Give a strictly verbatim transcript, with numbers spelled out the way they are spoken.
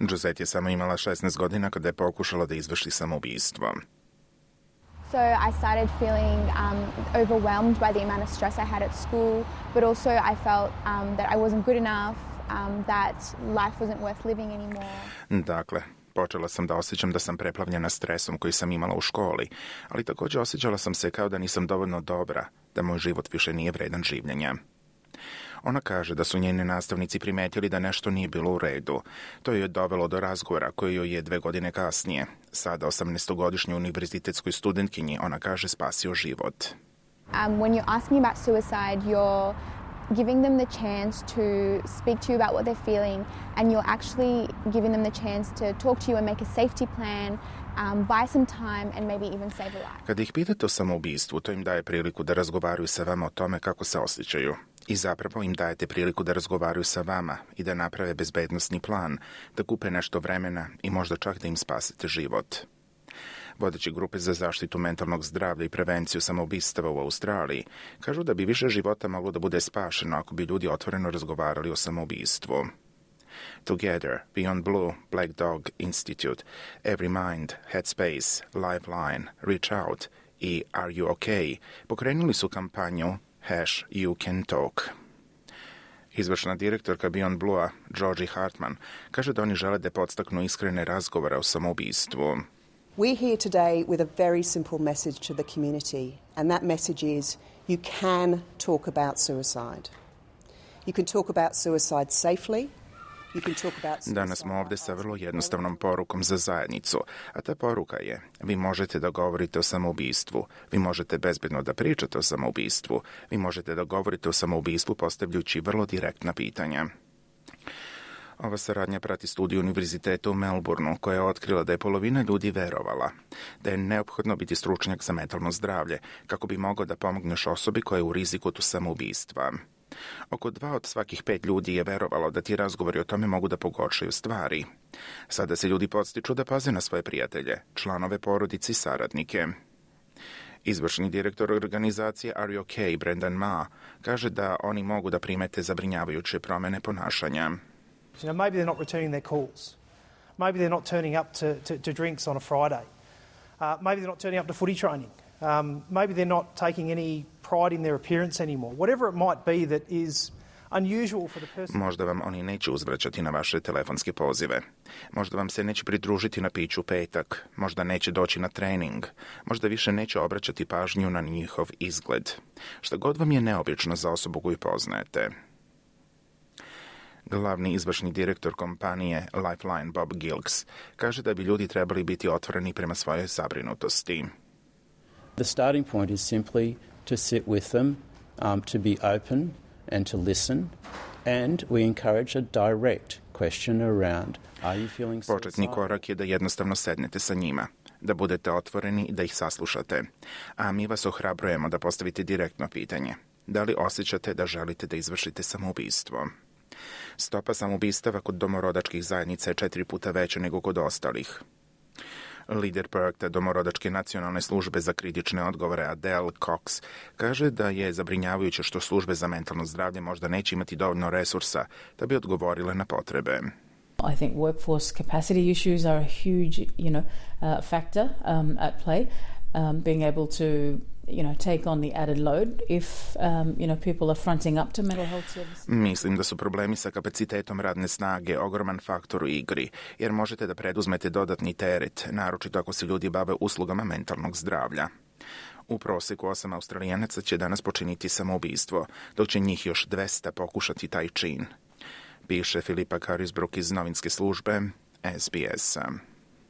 Josette je samo imala šesnaest godina kada je pokušala da izvrši samoubistvo. So I started feeling um, overwhelmed by the amount of stress I had at school, but also I felt um, that I wasn't good enough, um, that life wasn't worth living anymore. Dakle, počela sam da osjećam da sam preplavljena stresom koji sam imala u školi, ali također osjećala sam se kao da nisam dovoljno dobra, da moj život više nije vredan življenja. Ona kaže da su njeni nastavnici primetili da nešto nije bilo u redu. To je dovelo do razgovora koji joj je dve godine kasnije. Sada osamnaestogodišnjoj univerzitetskoj studentkinji, ona kaže, spasio život. Um, when you're asking about suicide, you're giving them the chance to speak to you about what they're feeling, and you're actually giving them the chance to talk to you and make a safety plan, um, buy some time and maybe even save a life. Kad ih pitate o samoubistvu, to im daje priliku da razgovaraju sa vama o tome kako se osjećaju. I zapravo im dajete priliku da razgovaraju sa vama i da naprave bezbednosni plan, da kupe nešto vremena i možda čak da im spasite život. Vodeći grupe za zaštitu mentalnog zdravlja i prevenciju samoubistava u Australiji kažu da bi više života moglo da bude spašeno ako bi ljudi otvoreno razgovarali o samoubistvu. Together, Beyond Blue, Black Dog Institute, Every Mind, Headspace, Lifeline, Reach Out i Are You OK pokrenuli su kampanju Hash You Can Talk. Izvršna direktorka Beyond Blue-a, Georgie Hartman, kaže da oni žele da podstaknu iskrene razgovore o samoubistvu. We're here today with a very simple message to the community, and that message is you can talk about suicide. You can talk about suicide safely. You can talk about suicide. Danas smo ovdje sa vrlo jednostavnom porukom za zajednicu, a ta poruka je: vi možete da govorite o samoubistvu, vi možete bezbedno da pričate o samoubistvu, vi možete da govorite o samoubistvu postavljajući vrlo direktna pitanja. Ova saradnja prati studiju univerziteta u Melbourneu, koja je otkrila da je polovina ljudi verovala da je neophodno biti stručnjak za mentalno zdravlje kako bi mogao da pomogneš osobi koja je u riziku od samoubistva. Oko dva od svakih pet ljudi je verovalo da ti razgovori o tome mogu da pogoršaju stvari. Sada se ljudi podstiču da paze na svoje prijatelje, članove porodice i saradnike. Izvršni direktor organizacije Are You OK, Brendan Ma, kaže da oni mogu da primete zabrinjavajuće promjene ponašanja. You know, maybe they're not returning their calls. Maybe they're not turning up to, to, to drinks on a Friday. Uh, maybe they're not turning up to footy training. Um, maybe they're not taking any pride in their appearance anymore. Whatever it might be that is unusual for the person. Možda vam oni neće uzvraćati na vaše telefonske pozive. Možda vam se neće pridružiti na piću u petak. Možda neće doći na trening. Možda više neće obraćati pažnju na njihov izgled. Šta god vam je neobično za osobu koju poznajete. Glavni izvršni direktor kompanije Lifeline Bob Gilks kaže da bi ljudi trebali biti otvoreni prema svojoj zabrinutosti. The starting point is simply to sit with them, um, to be open and to listen, and we encourage a direct question around are you feeling suicidal? Početni korak je da jednostavno sednete sa njima, da budete otvoreni i da ih saslušate. A mi vas ohrabrujemo da postavite direktno pitanje. Da li osjećate da želite da izvršite samoubistvo? Stopa samoubistava kod domorodačkih zajednica je četiri puta veća nego kod ostalih. Lider projekta Domorodačke nacionalne službe za kritične odgovore Adele Cox kaže da je zabrinjavajuće što službe za mentalno zdravlje možda neće imati dovoljno resursa da bi odgovorile na potrebe. I think workforce capacity issues are a huge, you know, uh, factor um, at play. Um, being able to, you know, take on the added load if, um, you know, people are fronting up to mental health services. Mislim da su problemi sa kapacitetom radne snage ogroman faktor u igri, jer možete da preduzmete dodatni teret, naročito ako se ljudi bave uslugama mentalnog zdravlja. U proseku osam Australijanaca će danas počiniti samoubistvo, dok će njih još dvesta pokušati taj čin, piše Filipa Carisbrook iz novinske službe S B S.